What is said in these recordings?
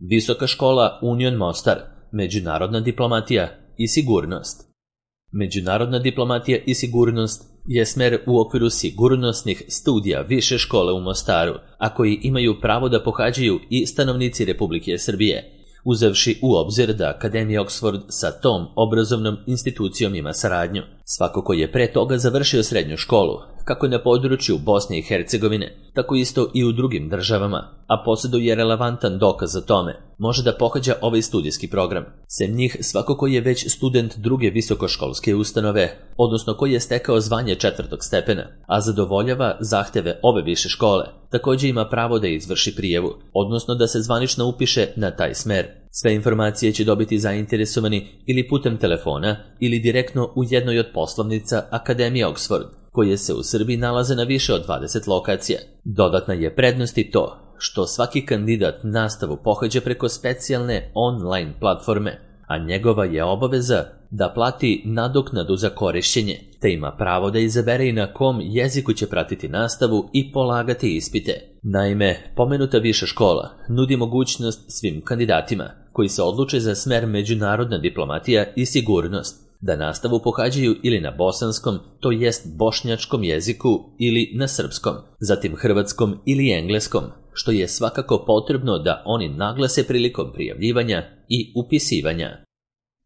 Visoka škola Union Mostar, međunarodna diplomatija i sigurnost. Međunarodna diplomatija i sigurnost je smer u okviru sigurnosnih studija Više škole u Mostaru, a koji imaju pravo da pohađaju i stanovnici Republike Srbije, uzevši u obzir da Akademija Oxford sa tom obrazovnom institucijom ima saradnju. Svako ko je pre toga završio srednju školu, kako na području Bosne i Hercegovine, tako isto i u drugim državama, a posjeduje relevantan dokaz za tome, može da pohađa ovaj studijski program. Sem njih, svako ko je već student druge visokoškolske ustanove, odnosno koji je stekao zvanje 4. stepena, a zadovoljava zahteve ove više škole, također ima pravo da izvrši prijavu, odnosno da se zvanično upiše na taj smer. Sve informacije će dobiti zainteresovani ili putem telefona ili direktno u jednoj od poslovnica Akademije Oxford, koje se u Srbiji nalaze na više od 20 lokacija. Dodatna je prednost i to što svaki kandidat nastavu pohađa preko specijalne online platforme, a njegova je obaveza da plati nadoknadu za korišćenje, te ima pravo da izabere i na kom jeziku će pratiti nastavu i polagati ispite. Naime, pomenuta viša škola nudi mogućnost svim kandidatima koji se odluče za smer međunarodna diplomatija i sigurnost da nastavu pohađaju ili na bosanskom, to jest bošnjačkom jeziku, ili na srpskom, zatim hrvatskom ili engleskom, što je svakako potrebno da oni naglase prilikom prijavljivanja i upisivanja.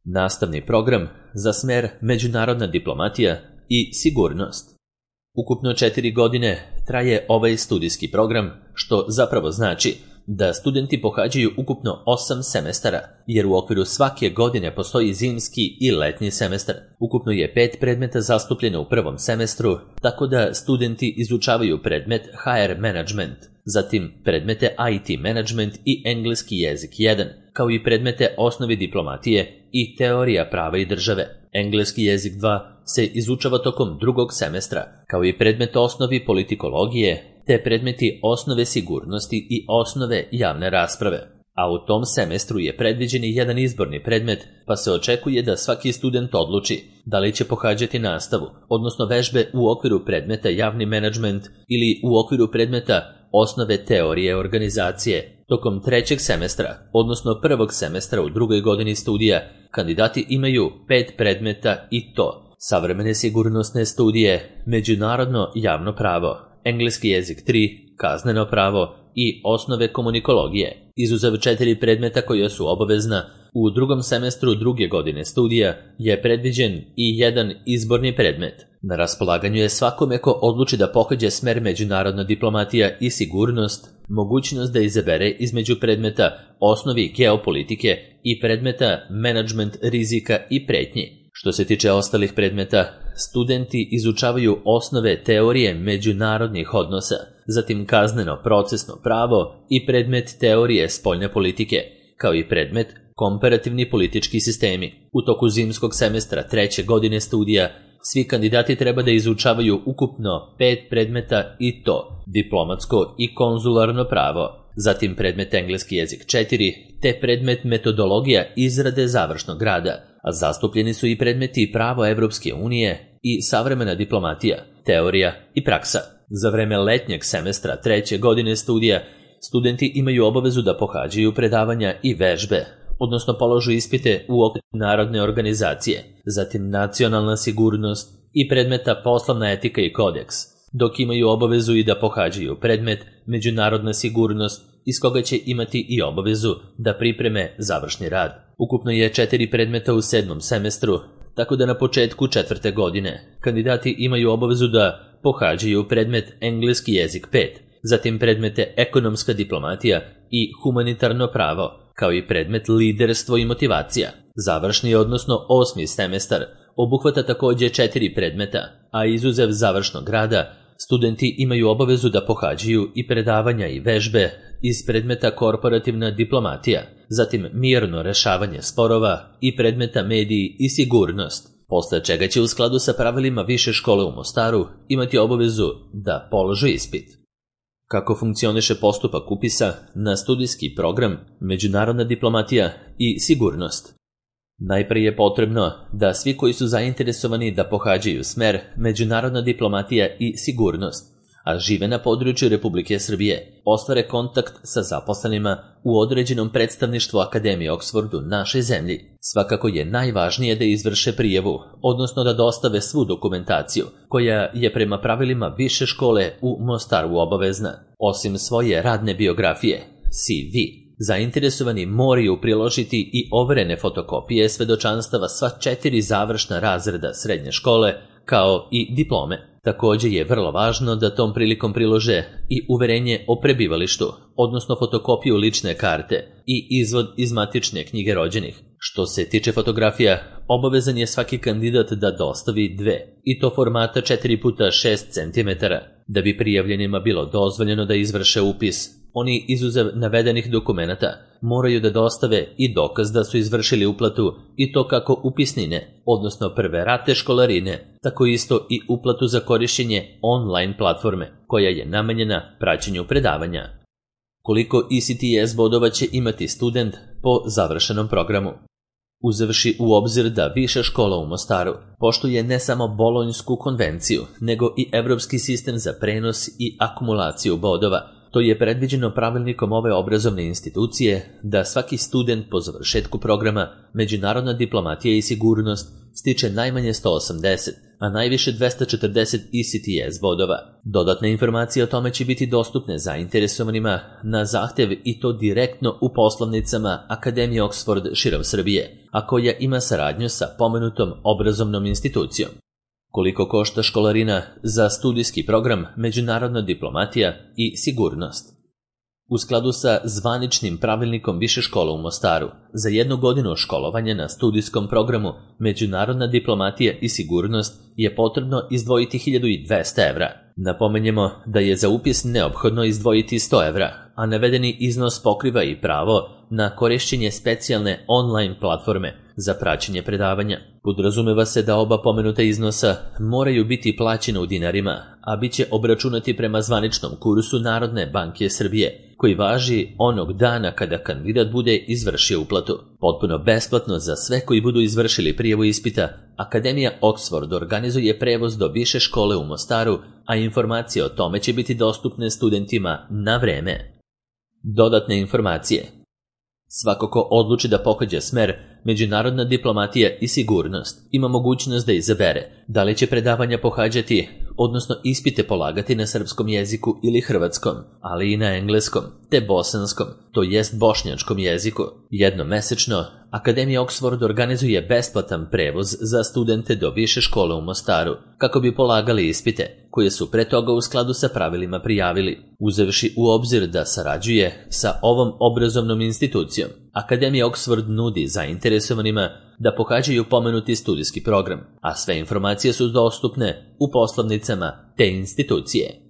Nastavni program za smer međunarodna diplomatija i sigurnost. Ukupno 4 godine traje ovaj studijski program, što zapravo znači da studenti pohađaju ukupno 8 semestara, jer u okviru svake godine postoji zimski i letnji semestar. Ukupno je 5 predmeta zastupljeno u prvom semestru, tako da studenti izučavaju predmet HR Management, zatim predmete IT Management i engleski jezik 1, kao i predmete osnovi diplomatije i teorija prava i države. Engleski jezik 2 se izučava tokom drugog semestra, kao i predmet osnovi politikologije, te predmeti osnove sigurnosti i osnove javne rasprave. A u tom semestru je predviđen i jedan izborni predmet, pa se očekuje da svaki student odluči da li će pohađati nastavu, odnosno vežbe u okviru predmeta javni menadžment ili u okviru predmeta osnove teorije organizacije. Tokom 3. semestra, odnosno 1. semestra u drugoj godini studija, kandidati imaju 5 predmeta i to: savremene sigurnosne studije, međunarodno javno pravo, engleski jezik 3, kazneno pravo i osnove komunikologije, izuzev 4 predmeta koja su obavezna. U drugom semestru druge godine studija je predviđen i jedan izborni predmet. Na raspolaganju je svakome ko odluči da pohađa smer međunarodna diplomatija i sigurnost mogućnost da izabere između predmeta osnovi geopolitike i predmeta menadžment rizika i pretnji. Što se tiče ostalih predmeta, studenti izučavaju osnove teorije međunarodnih odnosa, zatim kazneno procesno pravo i predmet teorije spoljne politike, kao i predmet komparativni politički sistemi. U toku zimskog semestra 3. godine studija svi kandidati treba da izučavaju ukupno 5 predmeta i to: diplomatsko i konzularno pravo, zatim predmet engleski jezik 4, te predmet metodologija izrade završnog rada, a zastupljeni su i predmeti pravo Evropske unije i savremena diplomatija, teorija i praksa. Za vreme letnjeg semestra 3. godine studija studenti imaju obavezu da pohađaju predavanja i vežbe, odnosno položu ispite u okviru narodne organizacije, zatim nacionalna sigurnost i predmeta poslovna etika i kodeks, dok imaju obavezu i da pohađaju predmet međunarodna sigurnost, iz koga će imati i obavezu da pripreme završni rad. Ukupno je 4 predmeta u 7. semestru, tako da na početku 4. godine kandidati imaju obavezu da pohađaju predmet engleski jezik 5, zatim predmete ekonomska diplomatija i humanitarno pravo, kao i predmet liderstvo i motivacija. Završni, odnosno 8. semestar, obuhvata također 4 predmeta, a izuzev završnog rada, studenti imaju obavezu da pohađaju i predavanja i vežbe iz predmeta korporativna diplomatija, zatim mirno rešavanje sporova i predmeta mediji i sigurnost, posle čega će u skladu sa pravilima Više škole u Mostaru imati obavezu da polože ispit. Kako funkcioniše postupak upisa na studijski program međunarodna diplomatija i sigurnost? Najprije je potrebno da svi koji su zainteresovani da pohađaju smer međunarodna diplomatija i sigurnost, a žive na području Republike Srbije, ostvare kontakt sa zaposlenima u određenom predstavništvu Akademije Oxford u našoj zemlji. Svakako je najvažnije da izvrše prijavu, odnosno da dostave svu dokumentaciju, koja je prema pravilima više škole u Mostaru obavezna. Osim svoje radne biografije, CV, zainteresovani moraju priložiti i overene fotokopije svedočanstava sva 4 završna razreda srednje škole, kao i diplome. Također je vrlo važno da tom prilikom prilože i uverenje o prebivalištu, odnosno fotokopiju lične karte i izvod iz matične knjige rođenih. Što se tiče fotografija, obavezan je svaki kandidat da dostavi 2, i to formata 4x6 cm, da bi prijavljenima bilo dozvoljeno da izvrše upis. Oni, izuzev navedenih dokumenata, moraju da dostave i dokaz da su izvršili uplatu, i to kako upisnine, odnosno prve rate školarine, tako isto i uplatu za korišćenje online platforme, koja je namenjena praćenju predavanja. Koliko ECTS bodova će imati student po završenom programu? Uzevši u obzir da Viša škola u Mostaru poštuje ne samo Bolonjsku konvenciju, nego i Evropski sistem za prenos i akumulaciju bodova, to je predviđeno pravilnikom ove obrazovne institucije da svaki student po završetku programa Međunarodna diplomatija i sigurnost stiče najmanje 180, a najviše 240 ECTS bodova. Dodatne informacije o tome će biti dostupne zainteresovanima na zahtev, i to direktno u poslovnicama Akademije Oxford širom Srbije, a koja ima saradnju sa pomenutom obrazovnom institucijom. Koliko košta školarina za studijski program Međunarodna diplomatija i sigurnost? U skladu sa zvaničnim pravilnikom Više škola u Mostaru, za 1 godinu školovanja na studijskom programu Međunarodna diplomatija i sigurnost je potrebno izdvojiti 1200 evra. Napomenjemo da je za upis neophodno izdvojiti 100 evra, a navedeni iznos pokriva i pravo na korišćenje specijalne online platforme za praćenje predavanja. Podrazumeva se da oba pomenuta iznosa moraju biti plaćene u dinarima, a bit će obračunati prema zvaničnom kursu Narodne banke Srbije, koji važi onog dana kada kandidat bude izvršio uplatu. Potpuno besplatno za sve koji budu izvršili prijavu ispita, Akademija Oxford organizuje prevoz do Više škole u Mostaru, a informacije o tome će biti dostupne studentima na vreme. Dodatne informacije. Svako ko odluči da pohađa smer Međunarodna diplomatija i sigurnost ima mogućnost da izabere da li će predavanja pohađati, odnosno ispite polagati na srpskom jeziku ili hrvatskom, ali i na engleskom, te bosanskom, to jest bošnjačkom jeziku. Jednomesečno, Akademija Oxford organizuje besplatan prevoz za studente do Više škole u Mostaru, kako bi polagali ispite, koje su pre toga u skladu sa pravilima prijavili. Uzevši u obzir da sarađuje sa ovom obrazovnom institucijom, Akademija Oxford nudi zainteresovanima da pohađaju pomenuti studijski program, a sve informacije su dostupne u poslovnicama te institucije.